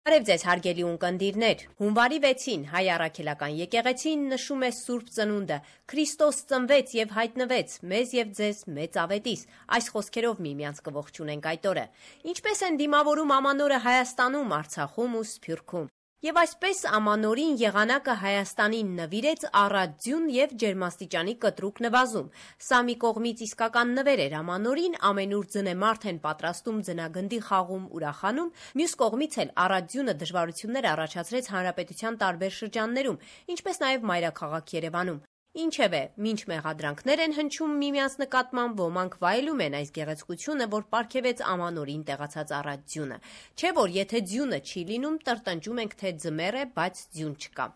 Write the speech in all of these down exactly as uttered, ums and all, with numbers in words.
Բարև ձեզ հարգելի ունկնդիրներ, հունվարի վեցին հայ առաքելական եկեղեցին նշում է Սուրբ Ծնունդը, Քրիստոս ծնվեց եւ հայտնվեց, մեզ եւ ձեզ մեծ ավետիս, այս խոսքերով միմյանց կողջունենք այդ օրը, ինչպես են դիմավորում ամանորը Հայաստանում, Արցախում ու Սփյուռքում։ Եվ այսպես ամանորին եղանակը Հայաստանին նվիրեց առատ ձյուն եւ ջերմաստիճանի կտրուկ նվազում, սա մի կողմից իսկական նվեր էր ամանորին, ամենուր ձնեմարդ են պատրաստում ձնագնդի խաղում ուրախանում, մյուս կողմից էլ առատ ձյունը դժվարություններ առաջացրեց հանրապետության տարբեր շրջաններում, ինչպես նաեւ մայրաքաղաք Երևանում։ Ինչևէ, մինչ մեղադրանքներ են հնչում միմյանց նկատմամբ, ոմանք վայելում են այս գեղեցկությունը, որ պարգևեց ամանորին տեղացած առատ ձյունը, չէ որ եթե ձյունը չի լինում, տրտնջում ենք, թե ձմեռ է, բայց ձյուն չկա։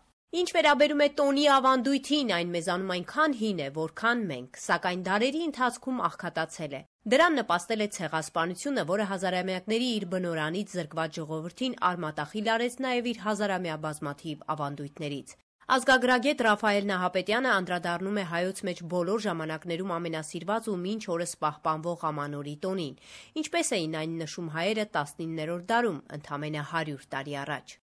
Ինչ վերաբերում է տոնի ավանդույթին, այն մեզանում այնքան հին է, որքան մենք, սակայն դարերի ընթացքում աղքատացել է։ Դրան նպաստել է ցեղասպանությունը, որը հազարամյակների իր բնորանից զրկված ժողովրդին արմատախիլ արեց նաև իր հազարամյա բազմաթիվ ավանդույթներից։ Ազգագրագետ Ռաֆայել Նահապետյանը անդրադառնում է հայոց մեջ բոլոր ժամանակներում ամենասիրված ու մինչ օրս պահպանվող ամանորի տոնին, ինչպես էին այն նշում հայերը տասնիններորդ դարում, ընդամենը հարյուր տարի առաջ։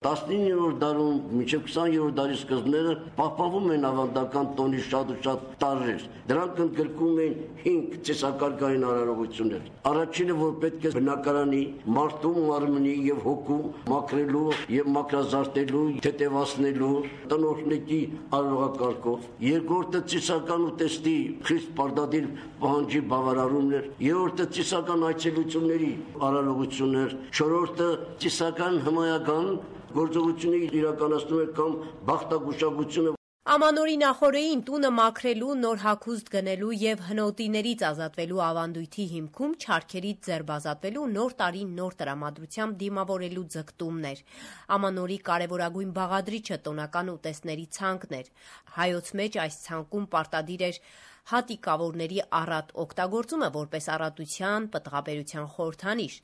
տասնիններորդ դարում մինչև քսաներորդ դարի սկզբները պահպանվում են ավանդական տոնի շատ ու շատ տարրեր։ Դրանք ընդգրկում են հինգ ծիսակարգային արարողություններ։ Առաջինը, որ պետք է բնակարանի, մարդու մարմնի եւ հոգու մաքրելու եւ մաքրազարդելու, թեթևացնելու, տնօրհնեկի արարողակարգով։ Երկրորդը ծիսական ուտեստի խիստ պարտադիր պահանջի բավարարումն էր։ Երրորդը ծիսական այցելությունների արարողություններ։ Չորրորդը ծիսական հմայական գործողությունների իրականացնում է կամ բախտագուշակությունը։ Ամանորի նախօրեին տունը մաքրելու, նոր հագուստ գնելու եւ հնոտիներից ազատվելու ավանդույթի հիմքում չարքերից ձերբազատվելու նոր տարին նոր տրամադրությամբ դիմավորելու ձգտումն էր։ Ամանորի կարևորագույն բաղադրիչը տոնական ուտեստների ցանկն էր։ Հայոց մեջ այս ցանկում պարտադիր էր հատիկավորների առատ օգտագործումը որպես առատության, պտղաբերության խորհրդանիշ։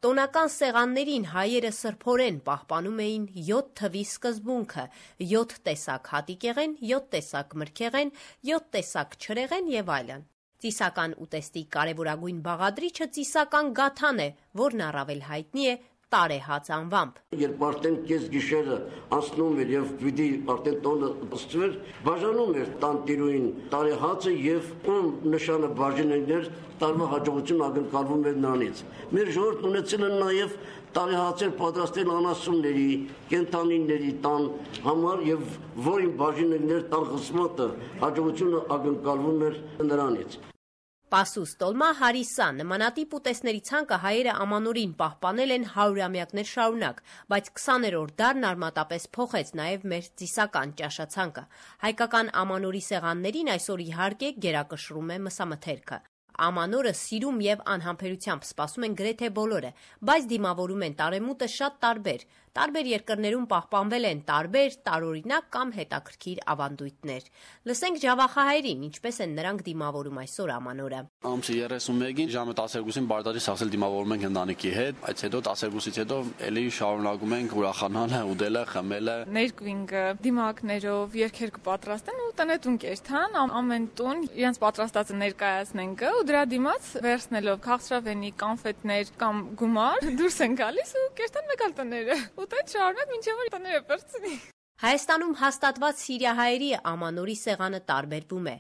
Տոնական սեղաններին հայերը սրբորեն պահպանում էին յոթ թվի սկզբունքը՝ յոթ տեսակ հատիկեղեն, յոթ տեսակ մրգեղեն, յոթ տեսակ չրեղեն եւ այլն։ Ծիսական ուտեստի կարևորագույն բաղադրիչը ծիսական գաթան է, որն առավել հայտնի է տարեհաց անվամբ։ Երբ արդեն կես գիշերը անցնում էր եւ պիտի արդեն տոնը ստվեր, բաժանում էր տանտիրուին տարեհացը եւ ում նշանը բաժանելներ տարվա հաջողություն ակնկալվում էր նրանից։ Մեր ժողովուրդն ունեցել են նաեւ տարեհացեր պատրաստել անասունների, կենթանիների տան համար եւ որին բաժանելներ տան խսմատը հաջողությունը ակնկալվում էր նրանից։ Պասուս, տոլմա, հարիսա, նմանատիպ ուտեստների ցանկը հայերը ամանորին պահպանել են հարյուրամյակներ շարունակ, բայց քսաներորդ դարն արմատապես փոխեց նաև մեր ծիսական ճաշացանկը։ Հայկական ամանորի սեղաններին այսօր իհարկե գերակշռում է մսամթերքը։ Ամանորը սիրում եւ անհամբերությամբ սպասում են գրեթե բոլորը, բայց դիմավորում են տարեմուտը շատ տարբեր։ Տարբեր երկրներում պահպանվել են տարբեր, տարօրինակ կամ հետաքրքիր ավանդույթներ։ Լսենք ջավախահայերին, ինչպես են նրանք դիմավորում այսօր ամանորը։ Ամսի երեսունմեկին ժամը տասներկուսին բարտարի սաղսել դիմավորում ենք ընտանիքի հետ, այդ հետո տասներկուսից հետո էլի շարունակում ենք ուրախանալը, ուտելը, խմելը։ Ներկվինգը դիմակներով երգեր կպատրաստեն ու տնետուն կերթան, ամեն տուն իրենց պատրաստածը ներկայացնենք ու դրա դիմաց վերցնելով քաղցրավենի, կանֆետներ կամ գումար դուրս են գալիս ու կերտան մեկ այլ տները։ Ու այդ շարունակ մինչև որ տները պրծնի։ Հայաստանում հաստատված սիրիահայերի ամանորի սեղանը տարբերվում է։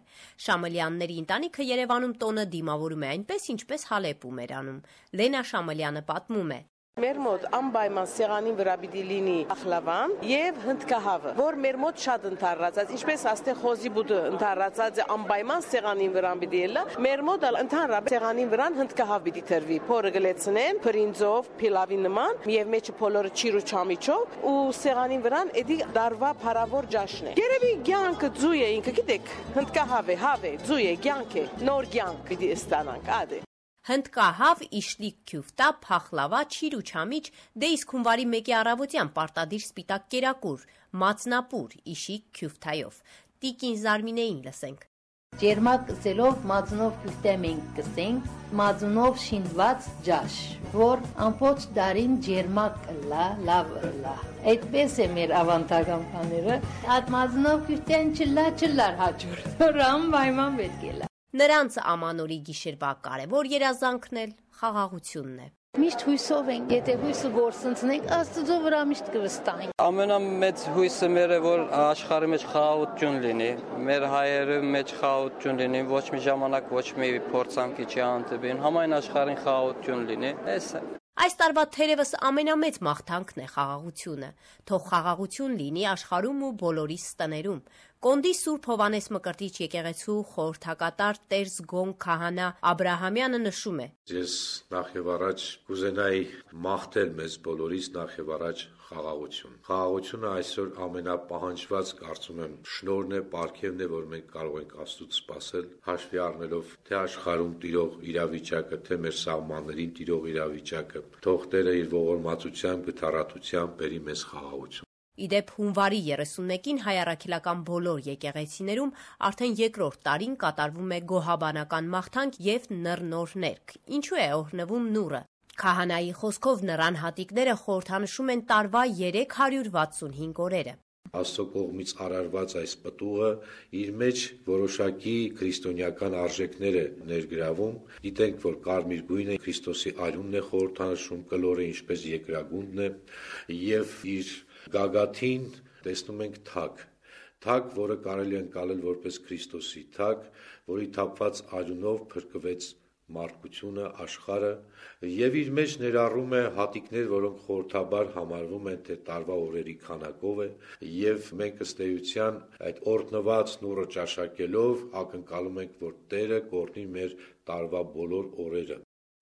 Շամալյանների ընտանիքը Երևանում տոնը դիմավորում է այնպես, ինչպես Հալեպում էր անում։ Լենա Շամալյանը պատմում է. Մեր մոտ անպայման սեղանի վրա պիտի լինի ախլավան եւ հնդկահավը, որ մեր մոտ շատ ընդառացած, ինչպես աստե խոզի բուդը ընդառացած է անպայման սեղանին վրա պիտի ելա, մեր մոտ ընդհանրապես սեղանին վրան հնդկահավ պիտի տրվի, փորը գլեցնեն, բրինձով, փիլավի նման եւ մեջը փոլորը չիրու չամիչով ու սեղանին վրան էդի դարվա փարավոր ջաշն է։ Երևի ցանկը ձու է ինքը, գիտեք, հնդկահավ է, հավ է, ձու է, ցանկ է, նոր ցանկ պիտի ստանանք, ադե։ Հնդկահավ, իշլիկ քյուֆտա, փախլավա, չիրու չամիչ, դե իսկ հունվարի մեկի առավոտյան պարտադիր սպիտակ կերակուր, մածնապուր, իշիկ քյուֆտայով։ Տիկին Զարմինեին լսենք։ Ջերմակ կսելով մածնով քյուֆտեմ ենք կսենք, մածնով շինված ջաշ, որ ամբողջ դարին ջերմակ կլա, լավ կլա։ Այդպես է մեր ավանդական բաները, այդ մածնով քյուֆտեն չլա, չլար հաջորդ, որ անպայման պետք է լա։ Նրանց ամանորի գիշերվա կարևոր երազանքն էլ խաղաղությունն է։ Միշտ հույսով ենք, եթե հույսը գործընծնենք, Աստծո վրա միշտ կվստահենք։ Ամենամեծ հույսը մեր է, որ աշխարհի մեջ խաղաղություն լինի, մեր հայերի մեջ խաղաղություն լինի, ոչ մի ժամանակ ոչ մի փորձանքի չի հանդիպին, համայն աշխարհին խաղաղություն լինի։ Էս է։ Այս տարվա թերևս ամենամեծ մաղթանքն է խաղաղությունը։ Թող խաղաղություն լինի աշխարհում ու բոլորիս տներում։ Կոնդի Սուրբ Հովանես Մկրտիչ եկեղեցու խորհրդակատար Տեր Զգոն քահանա Աբրահամյանը նշում է. Ես նախ եւ առաջ կուզենայի մաղթել մեզ բոլորիս նախ եւ առաջ խաղաղություն։ Խաղաղությունը այսօր ամենապահանջված, կարծում եմ, շնորհն է, պարգևն է, որ մենք կարող ենք Աստծուց սպասել, հաշվի առնելով թե աշխարհում տիրող իրավիճակը, թե մեր սահմաններին տիրող իրավիճակը։ Թող Տերը իր ողորմածությամբ, գթառատությամբ բերի մեզ խաղաղություն։ Իդեպ հունվարի երեսունմեկին հայ առաքելական բոլոր եկեղեցիներում արդեն երկրորդ տարին կատարվում է գոհաբանական մաղթանք եւ նռնոր ներք։ Ինչու է օրհնվում նուռը։ Քահանայի խոսքով նրան հատիկները խորհրդանշում են տարվա երեք հարյուր վաթսունհինգ օրերը։ Աստծո կողմից արարված այս պտուղը իր մեջ որոշակի քրիստոնեական արժեքներ է ներգրավում։ Գիտենք, որ կարմիր գույնը Քրիստոսի արյունն է խորհրդանշում, կլորը ինչպես երկրագունդն է, եւ իր գագաթին տեսնում ենք թագ, թագ, որը կարելի է ընկալել որպես Քրիստոսի թագ, որի թափված արյունով փրկվեց մարդկությունը, աշխարհը, եւ իր մեջ ներառում է հատիկներ, որոնք խորհրդաբար համարվում են թե տարվա օրերի քանակով է, եւ մենք ըստ էության այդ օրհնված նուռը ճաշակելով ակնկալում ենք, որ Տերը կօրհնի մեր տարվա բոլոր օրերը։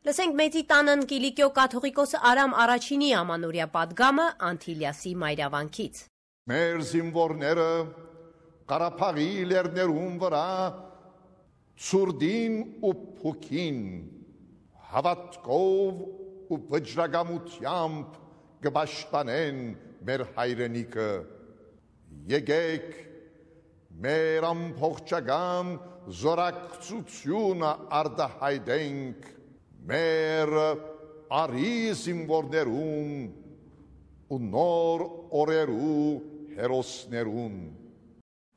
Լսենք Մեծի տանն Կիլիկիո կաթողիկոս Արամ Առաջինի ամանորյա պատգամը Անտիլիասի մայրավանքից։ Մեր զինվորները Ղարաբաղի լեռներում վրա Սուրդին ու փուքին հավատքով ու վճռագամությամբ կպաշտպանեն մեր հայրենիքը։ Եկեք մեր ամբողջական զորակցությունը արտահայտենք մեր արի զինվորներում ու նոր օրերու հերոսներուն։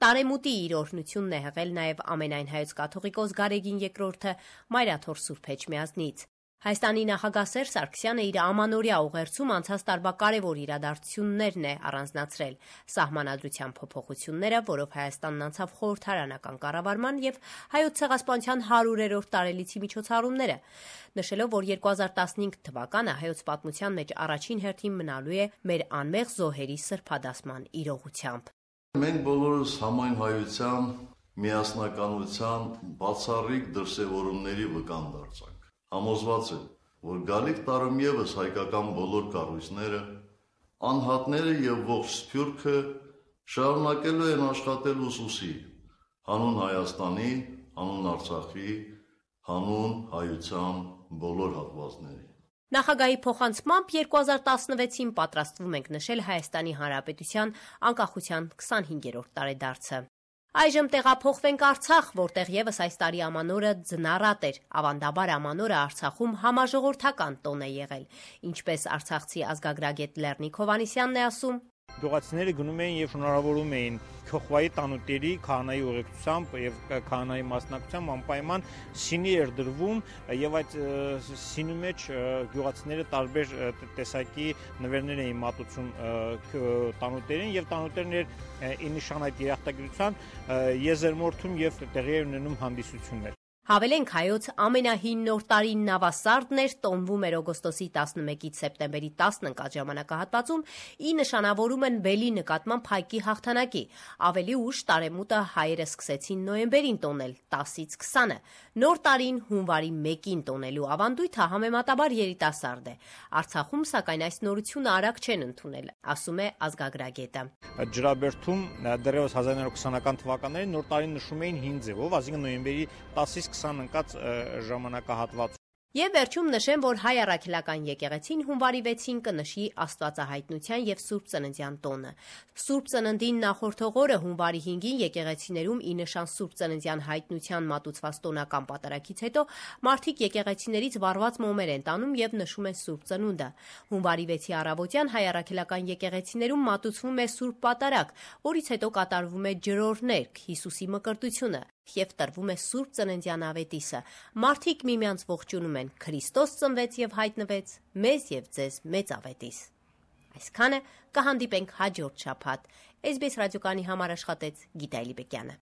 Տարեմուտի իր օրհնությունն է հղել նաև ամենայն հայոց կաթողիկոս Գարեգին երկրորդը Մայրաթոր Սուրբ Էջմիածնից։ Հայաստանի նախագահ Սերժ Սարգսյանը իր ամանորյա ուղերձում անցած տարվա կարևոր իրադարձություններն է առանձնացրել՝ սահմանադրության փոփոխությունները, որով Հայաստանն անցավ խորհրդարանական կառավարման եւ հայոց ցեղասպանության հարյուրերորդ տարելիցի միջոցառումները, նշելով, որ երկու հազար տասնհինգ թվականը հայոց պատմության մեջ առաջին հերթին մնալու է մեր անմեղ զոհերի սրբադասման իրողությամբ։ Մենք բոլորս համայն հայության, միասնականության, բացառիկ դրսևորումների վկան դարձանք։ Համոզված եմ, որ գալիք տարում ևս հայկական բոլոր կառույցները, անհատները եւ ողջ Սփյուռքը շարունակելու են աշխատել ուսուսի, հանուն Հայաստանի, հանուն Արցախի, հանուն հայության բոլոր հատվածների։ Նախագահի փոխանցմամբ երկու հազար տասնվեցին պատրաստվում ենք նշել Հայաստանի Հանրապետության անկախության քսանհինգերորդ տարեդարձը։ Այժմ տեղափոխվենք Արցախ, որտեղ եւս այս տարի ամանորը ձնառատ էր։ Ավանդաբար ամանորը Արցախում համաժողովրդական տոն է եղել, ինչպես արցախցի ազգագրագետ Լեռնիկ Հովհաննիսյանն է ասում։ Գյուղացիները գնում էին եւ շնորհավորում էին Քոխվայի տանուտերի քահանայի ուղեկցությամբ եւ քահանայի մասնակցությամբ անպայման սինի էր դրվում եւ այդ սինի մեջ գյուղացիները տարբեր տեսակի նվերներ էին մատուցում տանուտերին եւ տանուտերն էր ի նշան այդ երախտագիտության եզերմորթում եւ տեղի էր ունենում հանդիսություններ։ Հավելենք հայոց ամենահին նոր տարին նավասարդն էր, տոնվում էր օգոստոսի տասնմեկից սեպտեմբերի տասն ընկած ժամանակահատվածում, ի նշանավորում են բելի նկատմամբ հայկի հաղթանակի։ Ավելի ուշ տարեմուտը հայերը սկսեցին նոյեմբերին տոնել, տասից քսանը։ Նոր տարին հունվարի մեկին տոնելու ավանդույթը համեմատաբար երիտասարդ է։ Արցախում, սակայն, այս նորությունը արագ չեն ընդունել, ասում է ազգագրագետը։ Ջրաբերդում դեռևս հազար իննսուն ութանական թվականներին նոր տարին նշում էին հին ձևով, այսինքն նոյեմբերի տասից քսան ընկած ժամանակահատված։ Եվ վերջում նշեմ, որ հայ առաքելական եկեղեցին հունվարի վեցին կնշի Աստվածահայտնության եւ Սուրբ Ծննդյան տոնը։ Սուրբ Ծննդին նախորդող օրը հունվարի հինգին եկեղեցիներում ի նշան Սուրբ Ծննդյան հայտնության մատուցված տոնական պատարագից հետո մարդիկ եկեղեցիներից վառված մոմեր են տանում եւ նշում են Սուրբ Ծնունդը։ Հունվարի վեցի առավոտյան հայ առաքելական եկեղեցիներում մատուցվում է Սուրբ Պատարագ, որից հետո կատարվում է ջրօրհ ներք, Հիսուսի մկրտությունը։ եւ տրվում է Սուրբ Ծննդյան ավետիսը։ Մարդիկ միմյանց ողջունում են. Քրիստոս ծնվեց եւ հայտնվեց, մեզ եւ ձեզ մեծ ավետիս։ Այսքանը, կհանդիպենք հաջորդ շաբաթ։ Էս բի էս ռադիոկայանի համար աշխատեց Գիտա Էլիբեկյանը։